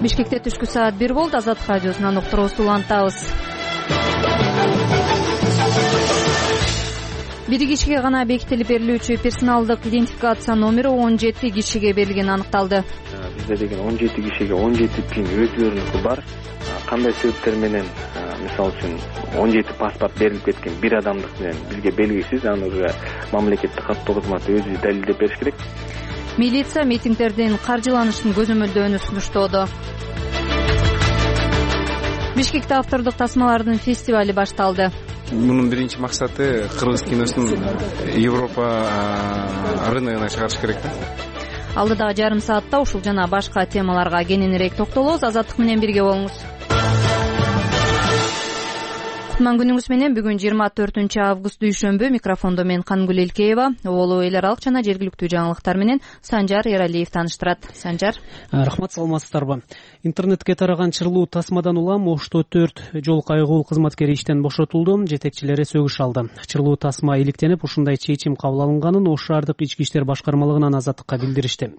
Бишкекте түшкү саат 1 болду. Азаттык радиосунан уктуруубузду улантабыз. Бир кишиге гана бекитилип берилүүчү персоналдык идентификация номери 17 кишиге берилгени аныкталды. Бизде деген 17 кишиге 17 пин өзүлөрүнүкү бар. Кандай себептер менен, мисалы үчүн 17 паспорт берилип кеткен бир адамдык менен бизге белгисиз, аны уже мамлекеттик каттоо кызматы өзү далилдеп бериш керек. Милиция митингдердин каржыланышын көзөмөлдөөнү сунуштоодо. Бишкекте автордук тасмалардын фестивали башталды. Мунун биринчи максаты кыргыз киносун Европа рыногуна чыгарыш керек да. Алдыдагы жарым саатта ушул жана башка темаларга кененирээк токтолобуз. Азаттык менен бирге болуңуз. Кутман күнүңүз менен. Бүгүн 24 август дүйшөмбү. Микрофондо мен Кангүл Элкеева. Оболу эл аралык жана жергиликтүү жаңылыктар менен Санжар Эралиев тааныштырат. Санжар. Рахмат, саламатсыздарбы. Интернетке тараган чырлуу тасмадан улам Ошто 4 жол кайгуу кызматкери иштен бошотулду. Жетекчилери сөгүш алды. Чырлуу тасма иликтенип, ушундай чечим кабыл алынганын Ош шаардык ички иштер башкармалыгынан Азаттыкка билдиришти.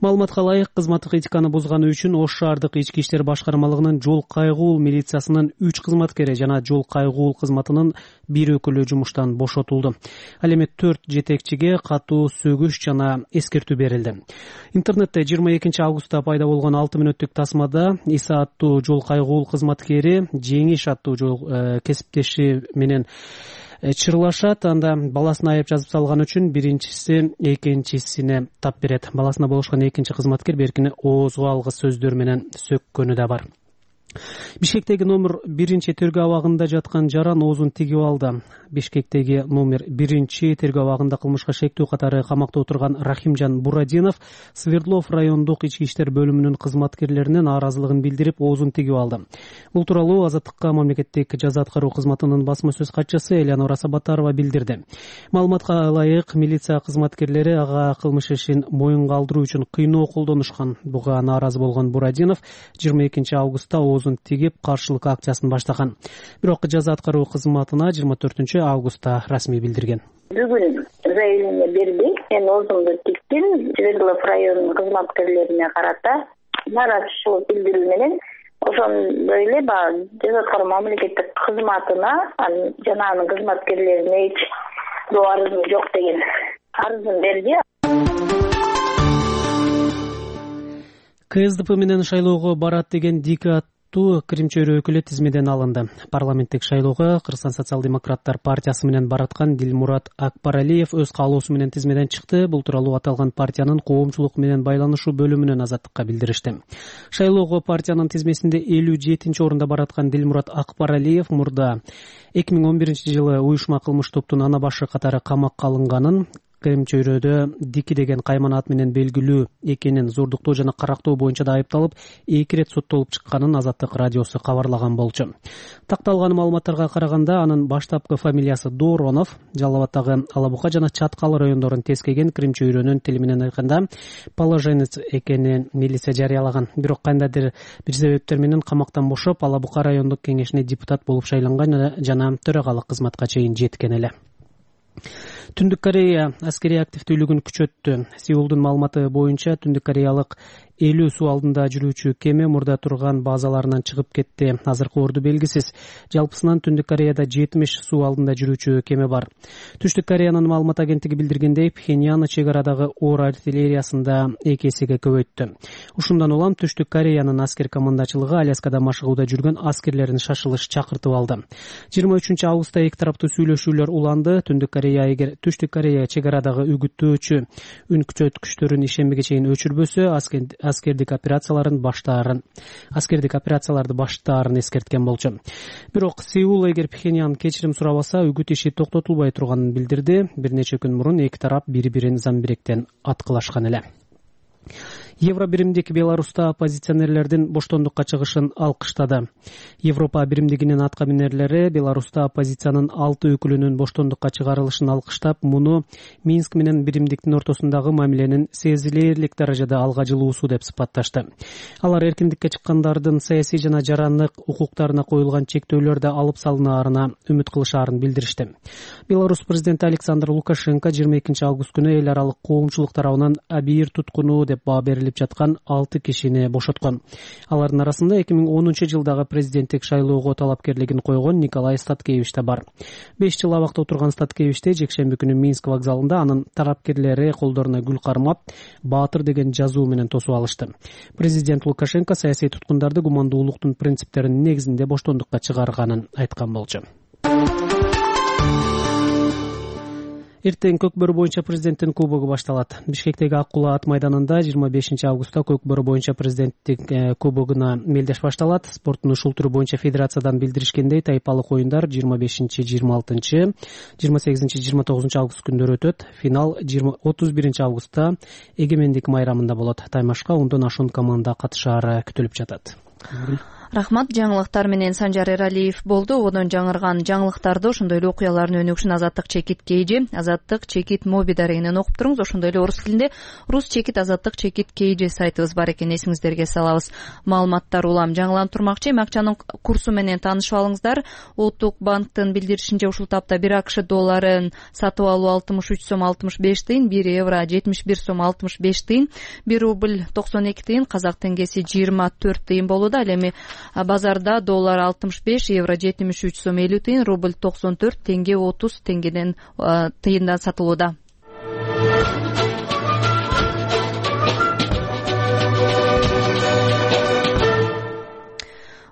Маалыматка ылайык, кызматтык этиканы бузганы үчүн Ош шаардык ички иштер башкармалыгынын жол кайгуу милициясынын 3 кызматкери жана жол кайгуу кызматынын бир өкүлү жумуштан бошотулду. Ал эми 4 жетекчиге катуу сөгүш жана эскертүү берилди. Интернетте 22 августта пайда болгон 6 мүнөттүк тасмада Иса аттуу жол кайгуу кызматкери Жеңиш аттуу жол кесиптеши менен чырлашат. Анда баласына айып жазып салган үчүн биринчиси экинчисине тап берет. Баласына болушкан экинчи кызматкер беркини оозго алгыс сөздөр менен сөккөнү да бар. Бишкектеги номер 1 тергөө абагында жаткан жаран оозун тигип алды. Бишкектеги номер 1 тергөө абагында кылмышка шектүү катары камакта отурган Рахимжан Бурадинов Свердлов райондук ички иштер бөлүмүнүн кызматкерлеринен нааразылыгын билдирип, оозун тигип алды. Бул тууралуу Азаттыкка мамлекеттик жаза аткаруу кызматынын басма сөз катчысы Элеонора Сабатарова билдирди. Маалыматка ылайык, милиция кызматкерлери ага кылмыш ишин моюнга алдыруу үчүн кыйноо колдонушкан. Буга нааразы болгон Бурадинов 22 августта оозун тигип каршылык акциясын баштаган. Бирок жаза аткаруу кызматына 24 августта расмий билдирген. Бүгүн заявление берди. Мен оозумду тиктим. Свердлов районунун кызматкерлерине карата нааразычылык билдирүү менен ошондой эле жаза аткаруу мамлекеттик кызматына жана анын кызматкерлерине эч арызым жок деген арызын берди. КСДП менен шайлоого барат деген Дика Крим чөйрө өкүлү тизмеден алынды. Парламенттик шайлоого Кыргызстан социал-демократтар партиясы менен бараткан Дилмурат Акбаралиев өз каалоосу менен тизмеден чыкты. Бул тууралуу аталган партиянын коомчулук менен байланышуу бөлүмүнөн Азаттыкка билдиришти. Шайлоого партиянын тизмесинде 57-орунда бараткан Дилмурат Акбаралиев мурда 2011-жылы уюшма кылмыш топтун ана башы катары камакка алынганын, Крим чөйрөдө Дики деген кайман ат менен белгилүү экенин, зордуктоо жана карактоо боюнча да айыпталып, 2 рет соттолуп чыкканын Азаттык радиосу кабарлаган болчу. Такталган маалыматтарга караганда, анын баштапкы фамилиясы Доронов, Жалал Абадтагы Алабука жана Чаткал райондорун тескеген Крим чөйрөнүн тили менен айтканда положенец экенин милиция жарыялаган. Бирок кандайдыр бир себептер менен камактан бошоп, Алабука райондук кеңешине депутат болуп шайланган жана төрагалык кызматка чейин жеткен эле. Түндүк Корея аскерий активдүүлүгүн күчөттү. Сеулдун маалыматы боюнча Түндүк Кореялык 50 суу алдында жүрүүчү кеме мурда турган базаларынан чыгып кетти. Азыркы орду белгисиз. Жалпысынан Түндүк Кореяда 70 суу алдында жүрүүчү кеме бар. Түштүк Кореянын маалымат агенттиги билдиргендей, Пхеньян чек арадагы оор артиллериясында 2 эсеге көбөйттү. Ушундан улам Түштүк Кореянын аскер командачылыгы Аляскада машыгууда жүргөн аскерлерин шашылыш чакыртып алды. 23 августта эки тараптуу сүйлөшүүлөр уланды. Түштүк Корея чек арадагы үгүттөөчү үн күчөткүчтөрүн ишембиге чейин өчүрбөсө, аскердик операцияларды баштаарын эскерткен болчу. Бирок Сеул эгер Пхеньян кечирим сурабаса, үгүт иши токтотулбай турганын билдирди. Бир нече күн мурун эки тарап бири-бирин замбиректен аткылашкан эле. Евро биримдик Беларуста оппозиционерлердин боштондукка чыгышын алкыштады. Европа биримдигинин атка минерлери Беларуста оппозициянын 6 өкүлүнүн боштондукка чыгарылышын алкыштап, муну Минск менен биримдиктин ортосундагы мамиленин сезилерлик даражада алга жылуусу деп сыпатташты. Алар эркиндикке чыккандардын саясий жана жарандык укуктарына коюлган чектөөлөрдү алып салынаарына үмүт кылышаарын билдиришти. Беларусь президенти Александр Лукашенко 22 август күнү эл аралык коомчулук тарабынан абийир туткунуу деп баа берилген берилип жаткан 6 кишини бошоткон. Алардын арасында 2010-жылдагы президенттик шайлоого талапкерлигин койгон Николай Статкевич да бар. 5 жыл абакта отурган Статкевичте жекшемби күнү Минск вокзалында анын тарапкерлери колдоруна гүл кармап, баатыр деген жазуу менен тосуп алышты. Президент Лукашенко саясий туткундарды гумандуулуктун принциптеринин негизинде боштондукка чыгарганын айткан болчу. Эртең Көкбөрү боюнча президенттин кубогу башталат. Бишкектеги Ак Кулаа ат майданында 25 августта Көкбөрү боюнча президенттик кубогуна мелдеш башталат. Спорттун ушул түрү боюнча федерациядан билдиришкендей, тайпалык оюндар 25, 26, 28, 29 август күндөрү өтөт. Финал 31 августта Эгемендик майрамында болот. Таймашка 10дон ашуун команда катышаары күтүлүп жатат. Рахмат. Жаңылыктар менен Санжар Эралиев болду. Одон жаңырган жаңылыктарды, ошондой эле окуялардын өнүгүшүн Азаттык чекит KG, Азаттык чекит моби дарегинен окуп туруңуз. Ошондой эле орус тилинде Рус чекит Азаттык чекит KG сайтыбыз бар экен, эсиңиздерге салабыз. Маалыматтар улам жаңыланып турмакчы. Эми акчанын курсу менен таанышып алыңыздар. Улуттук банктын билдиришинче ушул тапта 1 АКШ долларын сатып алуу 63 сом 65 тыйын, 1 евро 71 сом 65 тыйын, 1 рубль 92 тыйын, казак теңгеси 24 тыйын болууда. Ал эми базарда доллар 65, евро 73 сом 50 тыйын, рубль 94 теңге 30 теңгеден тыйындан сатылууда.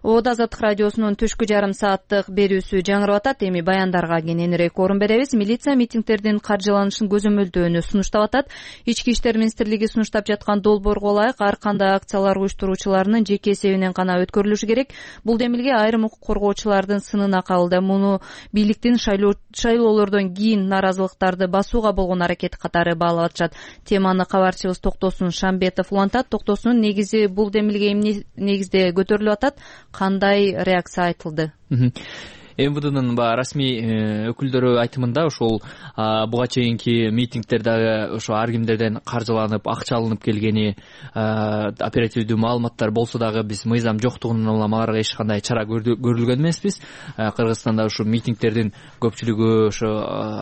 Ода Азаттык радиосунун түшкү жарым сааттык берүүсү жаңырып атат. Эми баяндарга кененирээк орун беребиз. Милиция митингдердин каржыланышын көзөмөлдөөнү сунуштап атат. Ички иштер министрлиги сунуштап жаткан долбоорго ылайык ар кандай акциялар уюштуруучуларынын жеке эсебинен гана өткөрүлүшү керек. Бул демилге айрым укук коргоочулардын сынына кабылды. Муну бийликтин шайлоолордон кийин наразылыктарды басууга болгон аракети катары баалап атышат. Теманы кабарчыбыз Токтосун Шамбетов улантат. Токтосунун негизи бул демилге эмне негизде көтөрүлүп атат? Кандай реакция айтылды? МВДнын расмий өкүлдөрү айтымында ошол буга чейинки митингдер дагы ошо ар кимдерден каржыланып, акча алынып келгени, оперативдүү маалыматтар болсо дагы биз мыйзам жоктугунан улам аларга эч кандай чара көрүлгөн эмеспиз. Кыргызстанда ушу митингдердин көпчүлүгү ошо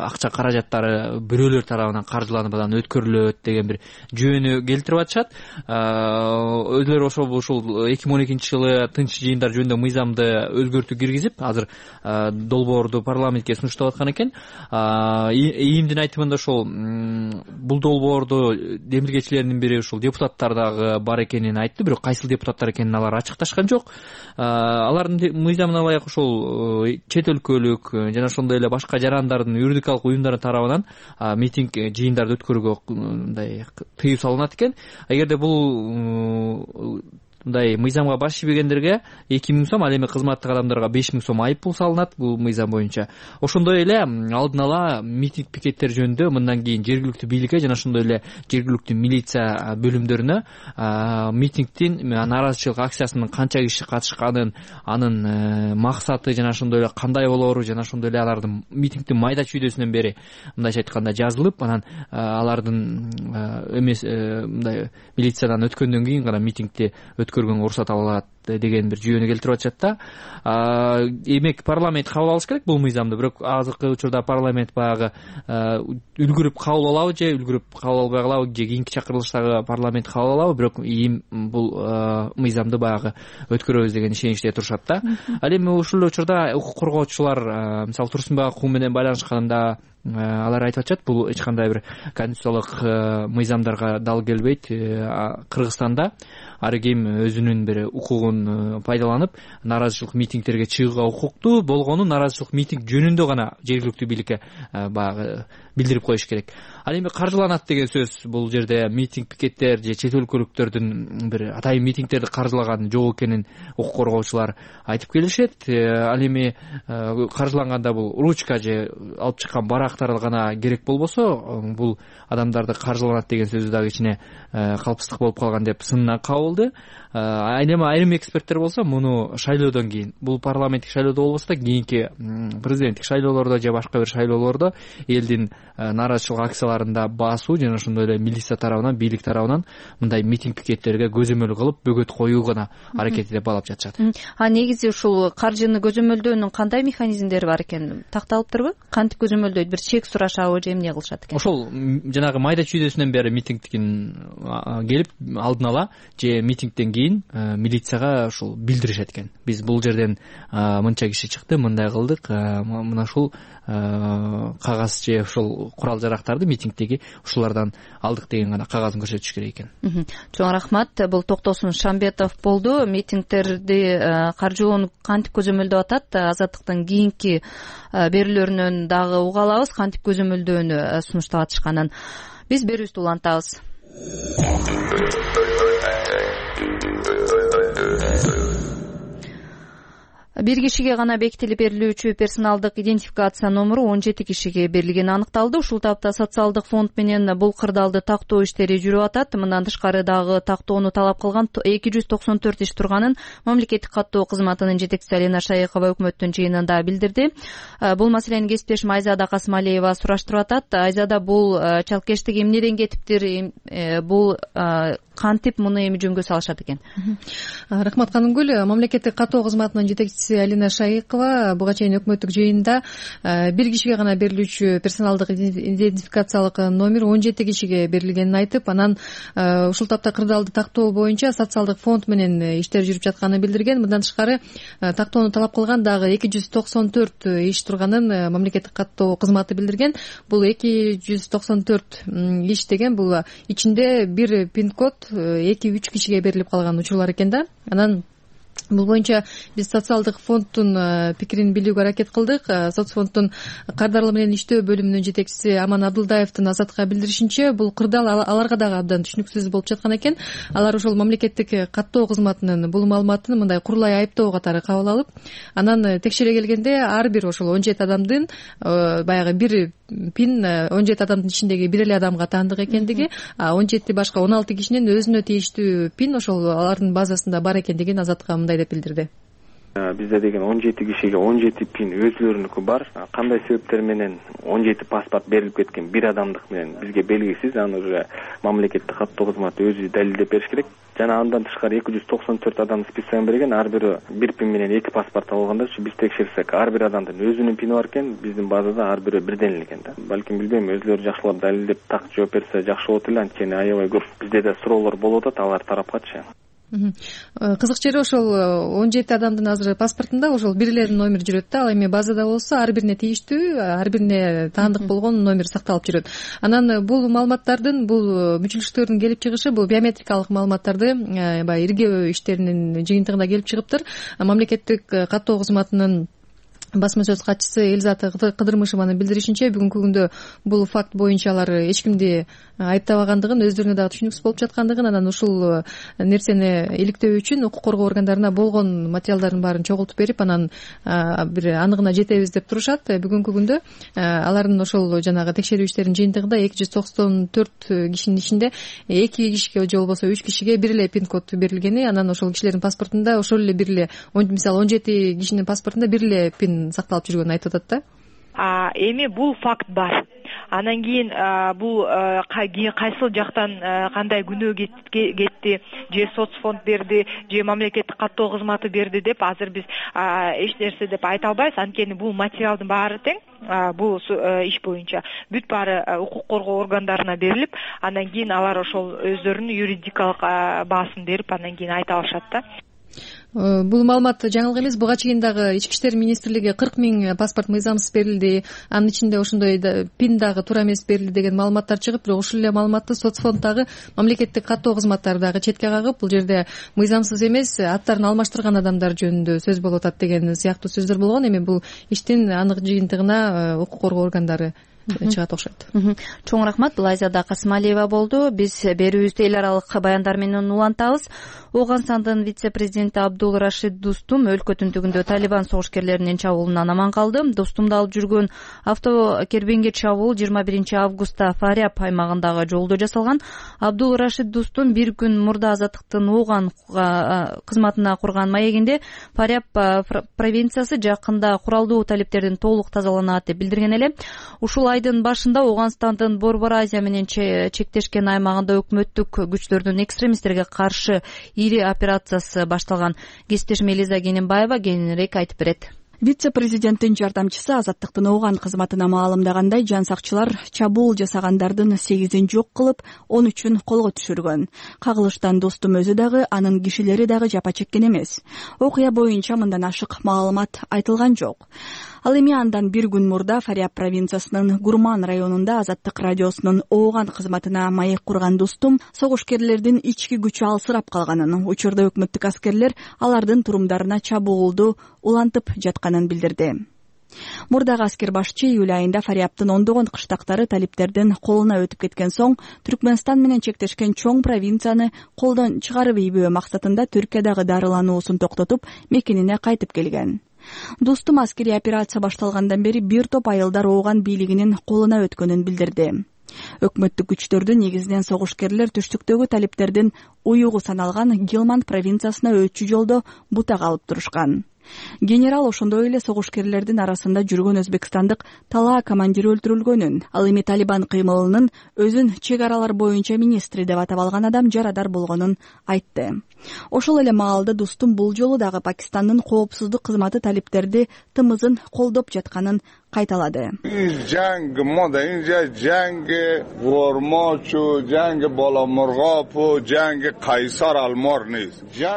акча каражаттары бирөөлөр тарабынан каржыланып анан өткөрүлөт деген бир жүйөнү келтирип атышат. Өзүлөрү ушул 2012 жылы тынч жыйындар жөнүндө мыйзамды өзгөртүү киргизип, азыр долбоорду парламентке сунуштап аткан экен. ИИМдин айтымында ошол бул долбоорду демилгечилердин бири ушул депутаттар дагы бар экенин айтты, бирок кайсыл депутаттар экенин алар ачыкташкан жок. Алардын мыйзамына ылайык ошол чет өлкөлүк жана ошондой эле башка жарандардын юридикалык уюмдары тарабынан митинг жыйындарды өткөрүүгө мындай тыюу салынат экен. Эгерде бул мындай мыйзамга баш ийбегендерге 2000 сом, ал эми кызматтык адамдарга 5000 сом айып пул салынат бул мыйзам боюнча. Ошондой эле алдын ала митинг пикеттер жөнүндө мындан кийин жергиликтүү бийликке жана ошондой эле жергиликтүү милиция бөлүмдөрүнө митингдин нааразычылык акциясынын канча киши катышканын, анын максаты жана ошондой эле кандай болоору жана ошондой эле алардын митингдин майда чүйдөсүнөн бери мындайча айтканда жазылып, анан алардын эмес мындай милициядан өткөндөн кийин гана митингди өткөргөнгө уруксат алат деген бир жүйөнү келтирип атышат да. Демек парламент кабыл алыш керек бул мыйзамды, бирок азыркы учурда парламент баягы үлгүрүп кабыл алабы же үлгүрүп кабыл албай калабы же кийинки чакырылыштагы парламент кабыл алабы, бирок ИИМ бул мыйзамды баягы өткөрөбүз деген ишеничте турушат да. Ал эми ушул учурда укук коргоочулар, мисалы Турсунбай укугу менен байланышканда алар айтып атышат, бул эч кандай бир конституциялык мыйзамдарга дал келбейт. Кыргызстанда ар ким өзүнүн бир укугун пайдаланып нааразычылык митингдерге чыгууга укуктуу болгону нааразычылык митинг жөнүндө гана жергиликтүү бийликке баягы билдирип коюш керек. Ал эми каржыланат деген сөз бул жерде митинг пикеттер же чет өлкөлүктөрдүн бир атайын митингдерди каржылаган жок экенин укук коргоочулар айтып келишет. Ал эми каржыланганда бул ручка же алып чыккан барактар гана керек болбосо, бул адамдарды каржыланат деген сөзү дагы ичине калпыстык болуп калган деп сынына кабылды. Айрым эксперттер болсо муну шайлоодон кийин, бул парламенттик шайлоодо болбосо да кийинки президенттик шайлоолордо же башка бир шайлоолордо элдин нааразычылык акцияларында басуу жана ошондой эле милиция тарабынан, бийлик тарабынан мындай митинг пикеттерге көзөмөл кылып бөгөт коюу гана аракети деп баалап жатышат. Негизи ушул каржыны көзөмөлдөөнүн кандай механизмдери бар экен, такталыптырбы? Кантип көзөмөлдөйт? Бир чек сурашабы же эмне кылышат экен? Ошол жанагы майда чүйдөсүнөн бери митингдин келип алдын ала же митингден кийин милицияга ушул билдиришет экен. Биз бул жерден мынча киши чыкты, мындай кылдык, мына ушул кагаз же ушул курал жарактарды митингдеги ушулардан алдык деген гана кагазын көрсөтүш керек экен. Чоң рахмат. Бул Токтосун Шамбетов болду. Митингтерди каржылоону кантип көзөмөлдөп атат, Азаттыктын кийинки берүүлөрүнөн дагы уга алабыз кантип көзөмөлдөөнү сунуштап атышканын. Биз берүүбүздү улантабыз. Бир кишиге гана бекитилип берилүүчү персоналдык идентификация номуру 17 кишиге берилгени аныкталды. Ушул тапта социалдык фонд менен бул кырдаалды тактоо иштери жүрүп атат. Мындан тышкары дагы тактоону талап кылган 294 иш турганын мамлекеттик каттоо кызматынын жетекчиси Алина Шайыкова өкмөттүн жыйынында билдирди. Бул маселени кесиптешим Айзада Касымалиева сураштырып атат. Айзада, бул чалкештик эмнеден кетиптир? Бул кантип муну эми жөнгө салышат экен? Рахмат Канымгүл. Мамлекеттик каттоо кызматынын жетекчиси Алина Шайыкова буга чейин өкмөттүк жыйында бир кишиге гана берилүүчү персоналдык идентификациялык номер 17 кишиге берилгенин айтып, анан ушул тапта кырдаалды тактоо боюнча социалдык фонд менен иштер жүрүп жатканын билдирген. Мындан тышкары тактоону талап кылган дагы 294 иш турганын мамлекеттик каттоо кызматы билдирген. Бул 294 иш деген бул ичинде бир пин-код 2-3 кишиге берилип калган учурлар экен да. Анан бул боюнча биз социалдык фонддун пикирин билүүгө аракет кылдык. Соцфонддун кардарлар менен иштөө бөлүмүнүн жетекчиси Аман Абдылдаевдин Азатка билдиришинче, бул кырдаал аларга дагы абдан түшүнүксүз болуп жаткан экен. Алар ошол мамлекеттик каттоо кызматынын бул маалыматын мындай курулай айыптоо катары кабыл алып, анан текшере келгенде ар бир ошол 17 адамдын баягы бир пин 17 адамдын ичиндеги бир эле адамга таандык экендиги, 17 башка 16 кишинин өзүнө тийиштүү пин ошол алардын базасында бар экендигин Азатка мындай деп билдирди. Бизде деген 17 кишиге 17 пин өзүлөрүнүкү бар. Кандай себептер менен 17 паспорт берилип кеткен бир адамдык менен бизге белгисиз. Аны уже мамлекеттик каттоо кызматы өзү далилдеп бериш керек. Жана андан тышкары 294 адам списогун берген, ар бири бир пин менен 2 паспорт алганда биз текшерсек, ар бир адамдын өзүнүн пини бар экен, биздин базада ар бири бирден эле экен да. Балким билбейм, өзүлөрү жакшылап далилдеп так жооп берсе жакшы болот эле, анткени аябай көп бизде да суроолор болуп атат алар тарапкачы. Кызык жери ошол 17 адамдын азыр паспортунда ошол бир эле номер жүрөт да. Ал эми базада болсо ар бирине тийиштүү, ар бирине таандык болгон номер сакталып жүрөт. Анан бул маалыматтардын, бул мүчүлүштөрдүн келип чыгышы, бул биометрикалык маалыматтарды баягы иргөө иштеринин жыйынтыгында келип чыгыптыр. Мамлекеттик каттоо кызматынын басма сөз катчысы Элизата Кыдырмышеванын билдиришинче, бүгүнкү күндө бул факт боюнча алар эч кимди айыптабагандыгын, өздөрүнө дагы түшүнүксүз болуп жаткандыгын, анан ушул нерсени иликтөө үчүн укук коргоо органдарына болгон материалдардын баарын чогултуп берип, анан бир аныгына жетебиз деп турушат. Бүгүнкү күндө алардын ошол жанагы текшерүү иштеринин жыйынтыгында 294 кишинин ичинде 2 кишиге же болбосо 3 кишиге бир эле пин-код берилгени, анан ошол кишилердин паспортунда ошол эле бир эле, мисалы 17 кишинин паспортунда бир эле пин сакталып жүргөнүн айтып атат да. Эми бул факт бар. Анан кийин бул кайсыл жактан кандай күнөө кетти, же соцфонд берди, же мамлекеттик каттоо кызматы берди деп азыр биз эч нерсе деп айта албайбыз. Анткени бул материалдын баары тең, бул иш боюнча бүт баары укук коргоо органдарына берилип, анан кийин алар ошол өздөрүнүн юридикалык баасын берип, анан кийин айта алышат да. Бул маалымат жаңылык эмес. Буга чейин дагы Ички иштер министрлиги 40 000 паспорт мыйзамсыз берилди, анын ичинде ошондой пин дагы туура эмес берилди деген маалыматтар чыгып, бирок ушул эле маалыматты соцфонд дагы мамлекеттик каттоо кызматтары дагы четке кагып, бул жерде мыйзамсыз эмес, аттарын алмаштырган адамдар жөнүндө сөз болуп атат деген сыяктуу сөздөр болгон. Эми бул иштин анык жыйынтыгына укук коргоо органдары чыгат окшойт. Чоң рахмат. Лайзада Касымалиева болду. Биз берүүбүздү эл аралык баяндар менен улантабыз. Ооганстандын вице-президенти Абдул Рашид Дустум өлкө түндүгүндө Талибан согушкерлеринин чабуулунан аман калды. Дустумду алып жүргөн автокербенге чабуул 21 августта Фаряб аймагындагы жолдо жасалган. Абдул Рашид Дустум бир күн мурда Азаттыктын Ооган кызматына курган маегинде Фаряб провинциясы жакында куралдуу талиптердин толук тазаланат деп билдирген эле. Ушул айдын башында Ооганстандын Борбор Азия менен чектешкен аймагында өкмөттүк күчтөрдүн экстремисттерге каршы ири операциясы башталган. Кесиптешим Элиза Кененбаева кененирээк айтып берет. Вице-президенттин жардамчысы Азаттыктын Ооган кызматына маалымдагандай, жан сакчылар чабуул жасагандардын 8-ин жок кылып, 13-үн колго түшүргөн. Кагылыштан Достум өзү дагы, анын кишилери дагы жапа чеккен эмес. Окуя боюнча мындан ашык маалымат айтылган жок. Ал эми андан бир күн мурда Фаряб провинциясынын Гурман районунда Азаттык радиосунун Ооган кызматына маек курган Достум согушкерлердин ички күчү алсырап калганын, учурда өкмөттүк аскерлер алардын турумдарына чабуулду улантып жатканын билдирди. Мурдагы аскер башчы июль айында Фарябтын ондогон кыштактары талиптердин колуна өтүп кеткен соң Түркмөнстан менен чектешкен чоң провинцияны колдон чыгарып ийбөө максатында Түркиядагы дарылануусун токтотуп, мекенине кайтып келген. Достум аскерий операция башталгандан бери бир топ айылдар Ооган бийлигинин колуна өткөнүн билдирди. Өкмөттүк күчтөрдү негизинен согушкерлер түштүктөгү талиптердин уюгу саналган Гелманд провинциясына өтчү жолдо бутак алып турушкан. Генерал ошондой эле согушкерлердин арасында жүргөн өзбекстандык Талаа командири өлтүрүлгөнүн, ал эми Талибан кыймылынын өзүн чек аралар боюнча министри деп атап алган адам жарадар болгонун айтты. Ошол эле маалда Достум бул жолу дагы Пакистандын коопсуздук кызматы талиптерди тымызын колдоп жатканын кайталады.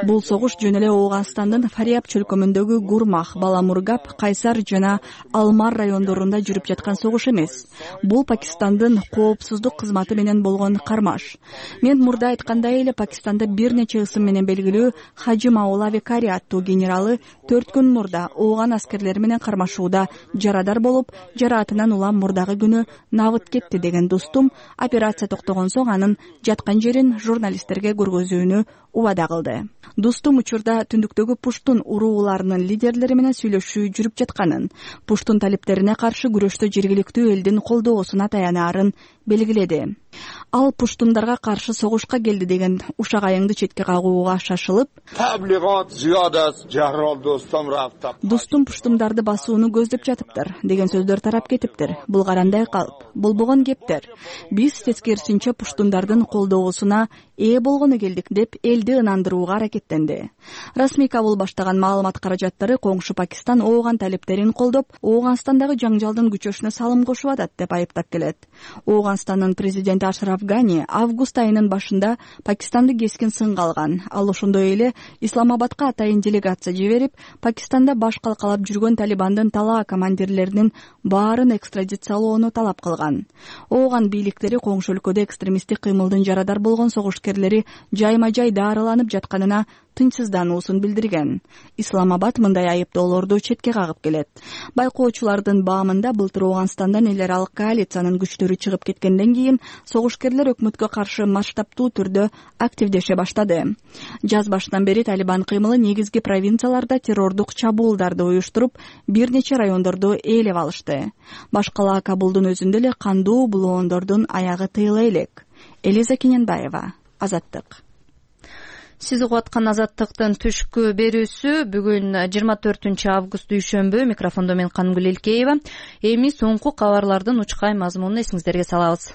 Бул согуш жөн эле Ооганстандын Фаряб чөлкөмүндөгү Гурмах, Баламургап, Кайсар жана Алмар райондорунда жүрүп жаткан согуш эмес. Бул Пакистандын коопсуздук кызматы менен болгон кармаш. Мен мурда айткандай эле Пакистанда бир нече ысым менен белгилүү Хаджи Маула Викари аттуу генералы 4 күн мурда Ооган аскерлери менен кармашууда жарадар болуп, жараатынан улам мурдагы күнү набыт кетти деген Достум операция токтогон соң анын жаткан жерин журналисттерге көргөзүүнү убада кылды. Достум учурда түндүктөгү Пуштун урууларынын лидерлери менен сүйлөшүү жүрүп жатканын, Пуштун талиптерине каршы күрөштө жергиликтүү элдин колдоосуна таянаарын белгиледи. Ал Пуштундарга каршы согушка келди деген ушак айыңды четке кагууга шашылып, Достум Пуштундарды басууну көздөп жатыптыр деген сөздөр тарап кетиптир. Бул карандай калп, болбогон кептер. Биз тескерисинче Пуштундардын колдоосуна ээ болгону келдик деп элди ынандырууга аракеттенди. Расмий Кабул баштаган маалымат каражаттары коңшу Пакистан Ооган талиптерин колдоп, Ооганстандагы жаңжалдын күчөшүнө салым кошуп атат деп айыптап келет. Ооганстандын президенти Ашраф Гани август айынын башында Пакистанды кескин сынга алган. Ал ошондой эле Исламабадка атайын делегация жиберип, Пакистанда баш калкалап жүргөн Талибандын Талаа командирлеринин баарын экстрадициялоону талап кылган. Ооган бийликтери коңшу өлкөдө экстремисттик кыймылдын жарадар болгон согушкерлери жайма-жай дарыланып жатканына тынчсыздануусун билдирген. Исламабад мындай айыптоолорду четке кагып келет. Байкоочулардын баамында былтыр Ооганстандан эл аралык коалициянын күчтөрү чыгып кеткенден кийин согушкерлер өкмөткө каршы масштабтуу түрдө активдеше баштады. Жаз башынан бери Талибан кыймылы негизги провинцияларда террордук чабуулдарды уюштуруп, бир нече райондорду ээлеп алышты. Баш кала Кабулдун өзүндө эле кандуу булоондордун аягы тыйыла элек. Элиза Кененбаева, Азаттык. Сиз угуп аткан Азаттыктын түшкү берүүсү бүгүн 24 август дүйшөмбү. Микрофондо мен Кангүл Элкеева. Эми соңку кабарлардын учкай мазмунун эсиңиздерге салабыз.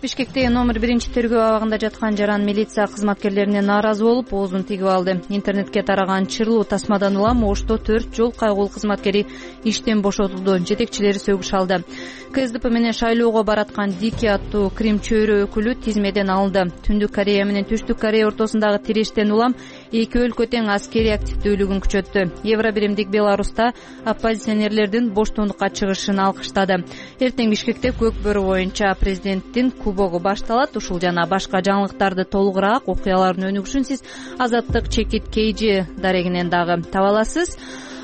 Бишкекте номер 1 тергөө абагында жаткан жаран милиция кызматкерлерине нааразы болуп, оозун тигип алды. Интернетке тараган чырлуу тасмадан улам Ошто 4 жол кайгуул кызматкери иштен бошотулду. Жетекчилери сөгүш алды. КСДП менен шайлоого бараткан Дики аттуу Крим чөйрө өкүлү тизмеден алынды. Түндүк Корея менен Түштүк Корея ортосундагы тирештен улам эки өлкө тең аскерий активдүүлүгүн күчөттү. Евробиримдик Беларуста оппозиционерлердин боштондукка чыгышын алкыштады. Эртең Бишкекте Көк бөрү боюнча президенттин кубогу башталат. Ушул жана башка жаңылыктарды толугураак окуялардын өнүгүшүн сиз Азаттык чекит KG дарегинен дагы таба аласыз.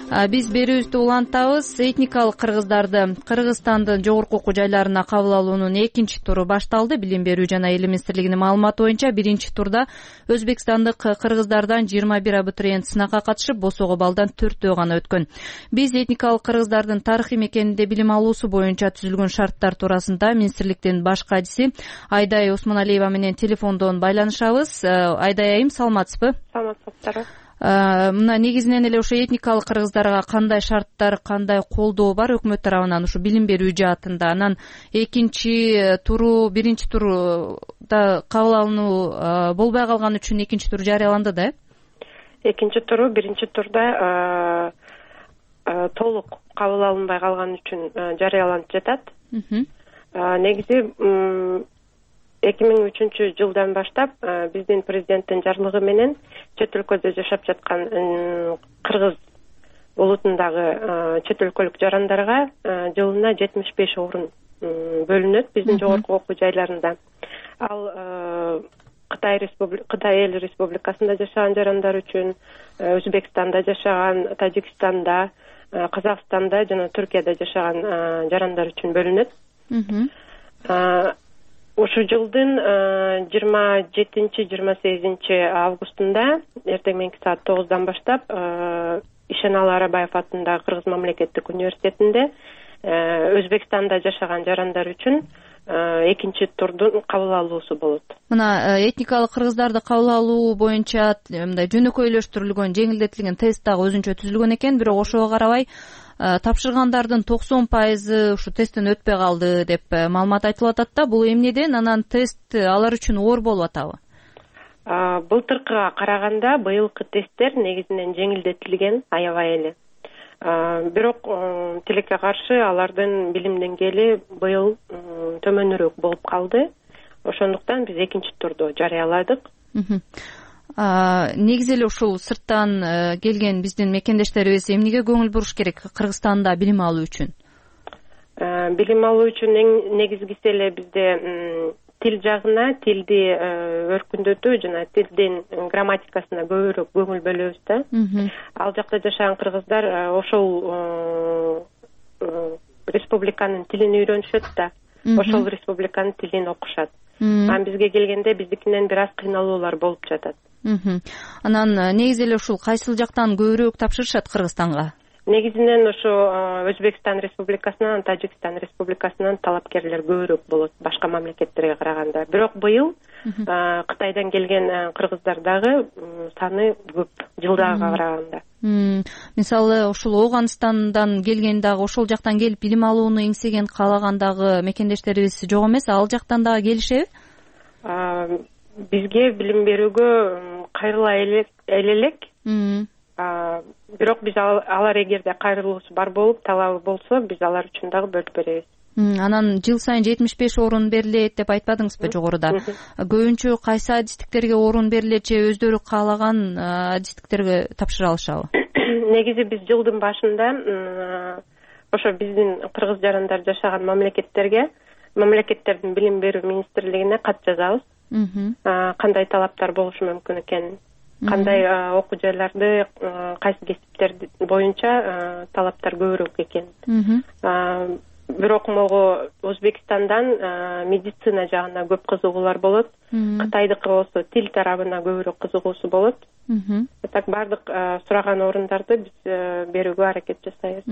Биз берүүбүздү улантабыз. Этникалык кыргыздарды Кыргызстандын жогорку окуу жайларына кабыл алуунун экинчи туру башталды. Билим берүү жана эл министрлигинин маалыматы боюнча биринчи турда өзбекстандык кыргыздардан 21 абитуриент сынакка катышып, босого баллдан 4 гана өткөн. Биз этникалык кыргыздардын тарыхый мекенинде билим алуусу боюнча түзүлгөн шарттар туурасында министрликтин баш кадиси Айдай Осмоналиева менен телефондон байланышабыз. Айдай айым, саламатсызбы? Саламатсыздар. Мына негизинен эле ошо этникалык кыргыздарга кандай шарттар, кандай колдоо бар өкмөт тарабынан ушу билим берүү жаатында? Анан экинчи туру, биринчи турда кабыл алынуу болбой калган үчүн экинчи тур жарыяланды да? Экинчи туру биринчи турда толук кабыл алынбай калган үчүн жарыяланып жатат. Негизи 2003 жылдан баштап биздин президенттин жарлыгы менен чет өлкөдө жашап жаткан кыргыз улутундагы чет өлкөлүк жарандарга жылына 75 орун бөлүнөт биздин жогорку окуу жайларында. Ал Кытай эл республикасында жашаган жарандар үчүн, Өзбекстанда жашаган, Тажикстанда, Казакстанда жана Түркияда жашаган жарандар үчүн бөлүнөт. Ушу жылдын 27-28 августунда эртең менки саат 9-дан баштап Ишеналы Арабаев атындагы Кыргыз мамлекеттик университетинде Өзбекстанда жашаган жарандар үчүн экинчи турдун кабыл алуусу болот. Мына этникалык кыргыздарды кабыл алуу боюнча мындай жөнөкөйлөштүрүлгөн, жеңилдетилген тест дагы өзүнчө түзүлгөн экен, бирок ошого карабай тапшыргандардын 90% ушу тесттен өтпөй калды деп маалымат айтылып атат да. Бул эмнеден? Анан тест алар үчүн оор болуп атабы? Былтыркыга караганда быйылкы тесттер негизинен жеңилдетилген аябай эле. Бирок тилекке каршы алардын билим деңгээли быйыл төмөнүрөөк болуп калды. Ошондуктан биз экинчи турду жарыяладык. Негизи эле ушул сырттан келген биздин мекендештерибиз эмнеге көңүл буруш керек Кыргызстанда билим алуу үчүн? Билим алуу үчүн эң негизгиси эле бизде тил жагына, тилди өркүндөтүү жана тилдин грамматикасына көбүрөөк көңүл бөлөбүз да. Ал жакта жашаган кыргыздар ошол республиканын тилин үйрөнүшөт да. Ошол республиканын тилин окушат. Анан бизге келгенде биздикинен бир аз кыйналуулар болуп жатат. Анан негизи эле ушул кайсыл жактан көбүрөөк тапшырышат Кыргызстанга? Негизинен ошо Өзбекстан республикасынан, Тажикстан республикасынан талапкерлер көбүрөөк болот башка мамлекеттерге караганда. Бирок быйыл Кытайдан келген кыргыздар дагы саны көп жылдагыга караганда. Мисалы ушул Ооганстандан келген дагы ошол жактан келип билим алууну эңсеген, каалаган дагы мекендештерибиз жок эмес, ал жактан дагы келишеби? Бизге билим берүүгө кайрыла элек. Бирок биз алар эгерде кайрылуусу бар болуп, талабы болсо, биз алар үчүн дагы бөлүп беребиз. Анан жыл сайын 75 орун берилет деп айтпадыңызбы жогоруда? Көбүнчө кайсы адистиктерге орун берилет же өздөрү каалаган адистиктерге тапшыра алышабы? Негизи биз жылдын башында ошо биздин кыргыз жарандар жашаган мамлекеттердин билим берүү министрлигине кат жазабыз. Кандай талаптар болушу мүмкүн экенин, кандай окуу жайларды, кайсы кесиптер боюнча талаптар көбүрөөк экенин. Бирок могу Өзбекстандан медицина жагына көп кызыгуулар болот. Кытайдыкы болсо тил тарабына көбүрөөк кызыгуусу болот. Так бардык сураган орундарды биз берүүгө аракет жасайбыз.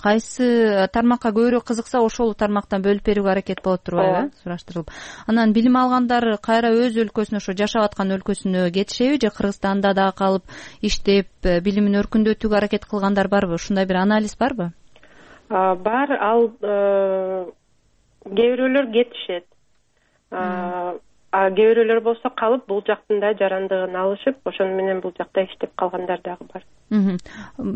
Кайсы тармакка көбүрөөк кызыкса, ошол тармактан бөлүп берүүгө аракет болот турбайбы? Сураштырылып. Анан билим алгандар кайра өз өлкөсүнө, ошо жашап аткан өлкөсүнө кетишеби же Кыргызстанда дагы калып иштеп билимин өркүндөтүүгө аракет кылгандар барбы? Ушундай бир анализ барбы? Бар, ал кээ бирөөлөр кетишет. Кээ бирөөлөр болсо калып бул жактын да жарандыгын алышып, ошону менен бул жакта иштеп калгандар дагы бар.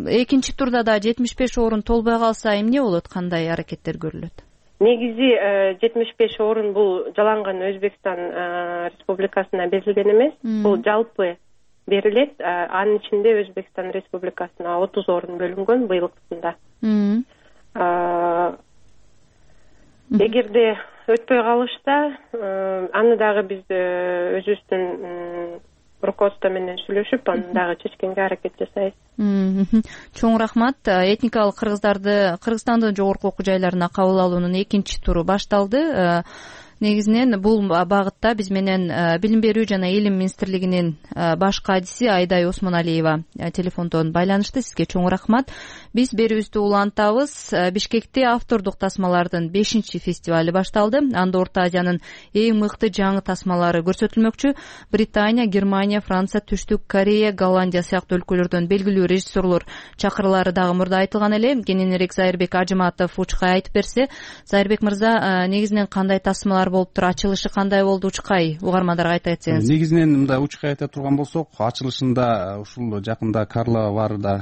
Экинчи турда да 75 орун толбой калса эмне болот? Кандай аракеттер көрүлөт? Негизи 75 орун бул жаланган Өзбекстан республикасына берилген эмес. Бул жалпы берилет. Анын ичинде Өзбекстан Республикасына 30 орун бөлүнгөн быйылкысында. Эгерде өтпөй калышса, аны дагы биз өзүбүздүн руководство менен сүйлөшүп, аны дагы чечкенге аракет жасайбыз. Чоң рахмат. Этникалык кыргыздарды Кыргызстандын жогорку окуу жайларына кабыл алуунун экинчи туру башталды. Негизинен бул багытта биз менен Билим берүү жана Илим министрлигинин баш кадиси Айдай Осмоналиева телефондон байланышты. Сизге чоң рахмат. Биз берүүбүздү улантабыз. Бишкекте автордук тасмалардын 5-чи фестивали башталды. Анда Орто Азиянын эң мыкты жаңы тасмалары көрсөтүлмөкчү. Британия, Германия, Франция, Түштүк Корея, Голландия сыяктуу өлкөлөрдөн белгилүү режиссерлор чакырылары дагы мурда айтылган эле. Кененирээк Зайырбек Ажыматов Учкай айтып берсе. Зайырбек мырза, негизинен кандай тасмалар болуптур? Ачылышы кандай болду Учкай? Угармандарга айта кетсеңиз. Негизинен мындай Учкай айта турган болсок, ачылышында ушул жакында Карловарда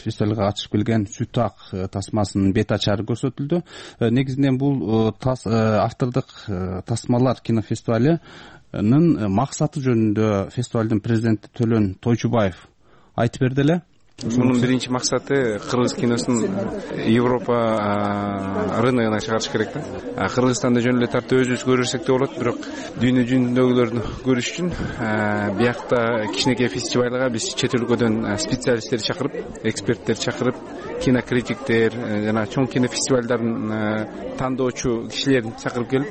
фестивалга катышып келген Сүт ак тасмасынын бет ачары көрсөтүлдү. Негизинен бул автордук тасмалар кинофестивалынын максаты жөнүндө фестивалдын президенти Төлөн Тойчубаев айтып берди эле. Мунун биринчи максаты кыргыз киносун Европа рыногуна чыгарыш керек да. Кыргызстанда жөн эле тартып өзүбүз көрсөк да болот, бирок дүйнө жүзүндөгүлөрдү көрүш үчүн биякта кичинекей фестивалга биз чет өлкөдөн специалисттер чакырып, эксперттер чакырып, кинокритиктер жана чоң кинофестивалдардын тандоочу кишилерин чакырып келип,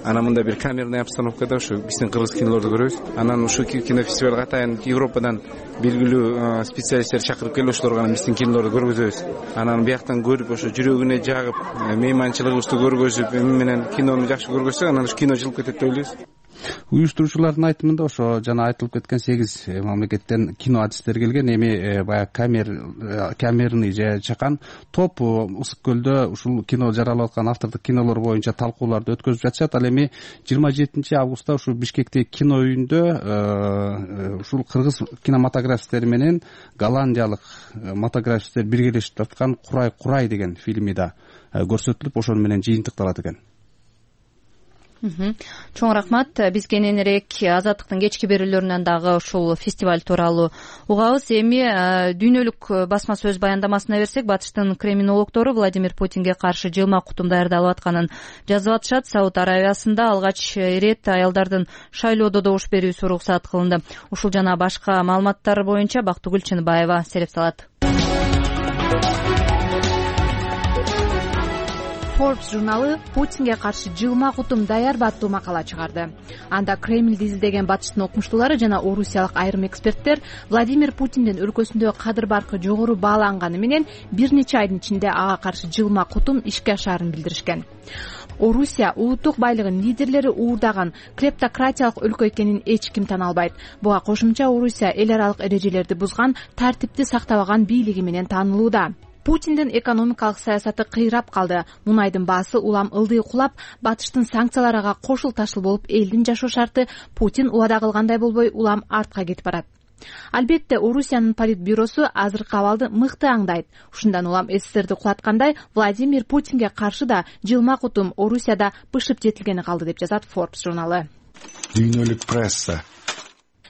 анан мында бир камерный обстановкада ушу биздин кыргыз кинолорду көрөбүз. Анан ушу кинофестивалга атайын Европадан белгилүү специалисттер чакырып келип, ошолорго биздин кинолорду көргөзөбүз. Анан бияктан көрүп, ошо жүрөгүнө жагып, мейманчылыгыбызды көргөзүп, эми менен кинону жакшы көргөзсөк, анан ушу кино жылып кетет деп ойлойбуз. Уюштуруучулардын айтымында ошо жана айтылып кеткен 8 мамлекеттен кино адистер келген. Эми баягы камерный же чакан топ Ысык көлдө ушул кино жаралып аткан автордук кинолор боюнча талкууларды өткөзүп жатышат. Ал эми 27 августта ушул Бишкектеги кино үйүндө ушул кыргыз кинематографисттери менен голландиялык мотографисттер биргелешип тарткан Курай деген фильми да көрсөтүлүп, ошону менен жыйынтыкталат экен. Чоң рахмат. Биз кененирээк Азаттыктын кечки берүүлөрүнөн дагы ушул фестиваль тууралуу угабыз. Эми дүйнөлүк басма сөз баяндамасына берсек, батыштын криминологдору Владимир Путинге каршы жылма кутум даярдалып атканын жазып атышат. Сауд Аравиясында алгач ирет аялдардын шайлоодо добуш берүүсү уруксат кылынды. Ушул жана башка маалыматтар боюнча Бактыгүл Чыныбаева сереп салат. Forbes журналы Путинге каршы жылма кутум даярбы аттуу макала чыгарды. Анда Кремлди изилдеген батыштын окумуштуулары жана орусиялык айрым эксперттер Владимир Путиндин өлкөсүндө кадыр баркы жогору бааланганы менен бир нече айдын ичинде ага каршы жылма кутум ишке ашаарын билдиришкен. Орусия улуттук байлыгын лидерлери уурдаган клептократиялык өлкө экенин эч ким тана албайт. Буга кошумча Орусия эл аралык эрежелерди бузган, тартипти сактабаган бийлиги менен таанылууда. Путиндин экономикалык саясаты кыйрап калды. Мунайдын баасы улам ылдый кулап, батыштын санкцияларга кошул ташыл болуп, элдин жашоо шарты Путин убада кылгандай болбой улам артка кетип барат. Албетте, Орусиянын политбюросу азыркы абалды мыкты аңдайт. Ушундан улам СССРди кулаткандай, Владимир Путинге каршы да жылма кутум Орусияда бышып жетилгени калды деп жазат Forbes журналы. Дүйнөлүк пресса.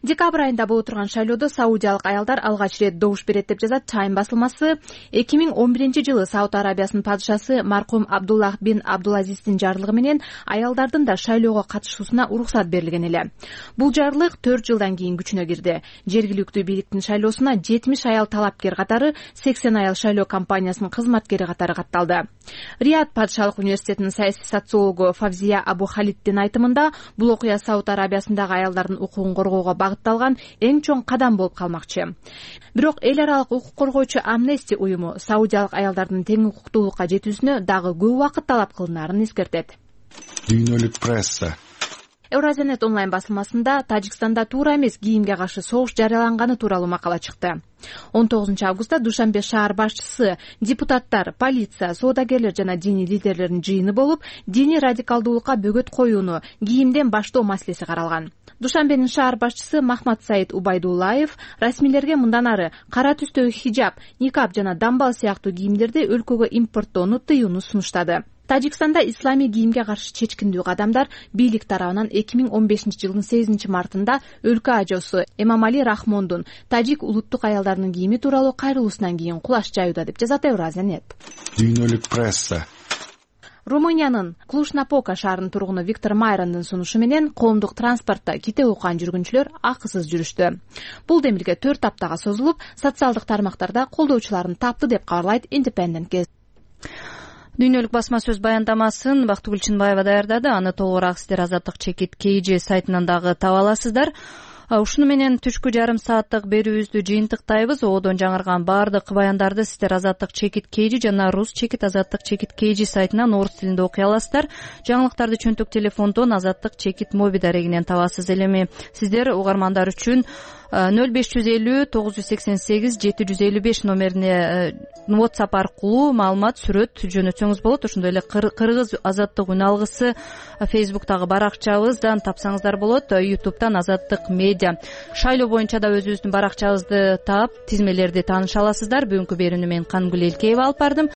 Декабрь айында боло турган шайлоодо саудиялык аялдар алгач ирет добуш берет деп жазат Time басылмасы. 2011-жылы Сауд Арабиясынын падышасы маркум Абдуллах бин Абдулазиздин жарлыгы менен аялдардын да шайлоого катышуусуна уруксат берилген эле. Бул жарлык 4 жылдан кийин күчүнө кирди. Жергиликтүү бийликтин шайлоосуна 70 аял талапкер катары 80 аял шайлоо компаниясынын кызматкери катары катталды. Рият падышалык университетинин саясий социологу Фавзия Абу Халиддин айтымында, бул окуя Сауд Арабиясындагы аялдардын укугун коргоого багытталган эң чоң кадам болуп калмакчы. Бирок эл аралык укук коргоочу Amnesty уюму саудиялык аялдардын тең укуктуулукка жетүүсүнө дагы көп убакыт талап кылынаарын эскертет. Дүйнөлүк пресса. Eurazionet онлайн басылмасында Тажикстанда туура эмес кийимге каршы согуш жарыяланганы тууралуу макала чыкты. 19 августта Душанбе шаар башчысы, депутаттар, полиция, соодагерлер жана диний лидерлердин жыйыны болуп, диний радикалдуулукка бөгөт коюуну, кийимден баштоо маселеси каралган. Душанбенин шаар башчысы Махмад Саид Убайдуллаев расмийлерге мындан ары кара түстөгү хижаб, никаб жана дамбал сыяктуу кийимдерди өлкөгө импорттоону тыюуну сунуштады. Тажикстанда исламий кийимге каршы чечкиндүү кадамдар бийлик тарабынан 2015-жылдын 8-мартында өлкө ажоосу Эмамали Рахмондун тажик улуттук аялдарынын кийими тууралуу кайрылуусунан кийин кулаш жаюуда, деп жазат Евразия.нет. Дүйнөлүк пресса. Румыниянын Клуж-Напока шаарынын тургуну Виктор Майрандын сунушу менен коомдук транспортто китеп окуган жүргүнчүлөр акысыз жүрүштү. Бул демилге 4 аптага созулуп, социалдык тармактарда колдоочуларын тапты, деп кабарлайт Independent Gazette. Дүйнөлүк басма сөз баяндамасын Бактыгүл Чынбаева даярдады. Аны толугураак сиздер Азаттык чекит KG сайтынан дагы таба аласыздар. Ушуну менен түшкү жарым сааттык берүүбүздү жыйынтыктайбыз. Одон жаңырган баардык баяндарды сиздер Азаттык чекит KG жана Рус чекит Азаттык чекит KG сайтынан орус тилинде окуй аласыздар. Жаңылыктарды чөнтөк телефондон Азаттык чекит моби дарегинен табасыз. Эми сиздер угармандар үчүн 0550 988 755 номерине WhatsApp аркылуу маалымат, сүрөт жөнөтсөңүз болот. Ошондой эле Кыргыз Азаттык үн алгысы Facebook'тагы баракчабыздан тапсаңыздар болот. YouTube'дан Азаттык медиа шайлоо боюнча да өзүбүздүн баракчабызды таап, тизмелерди тааныша аласыздар. Бүгүнкү берүүнү мен Кангүл Элкеева алып бардым.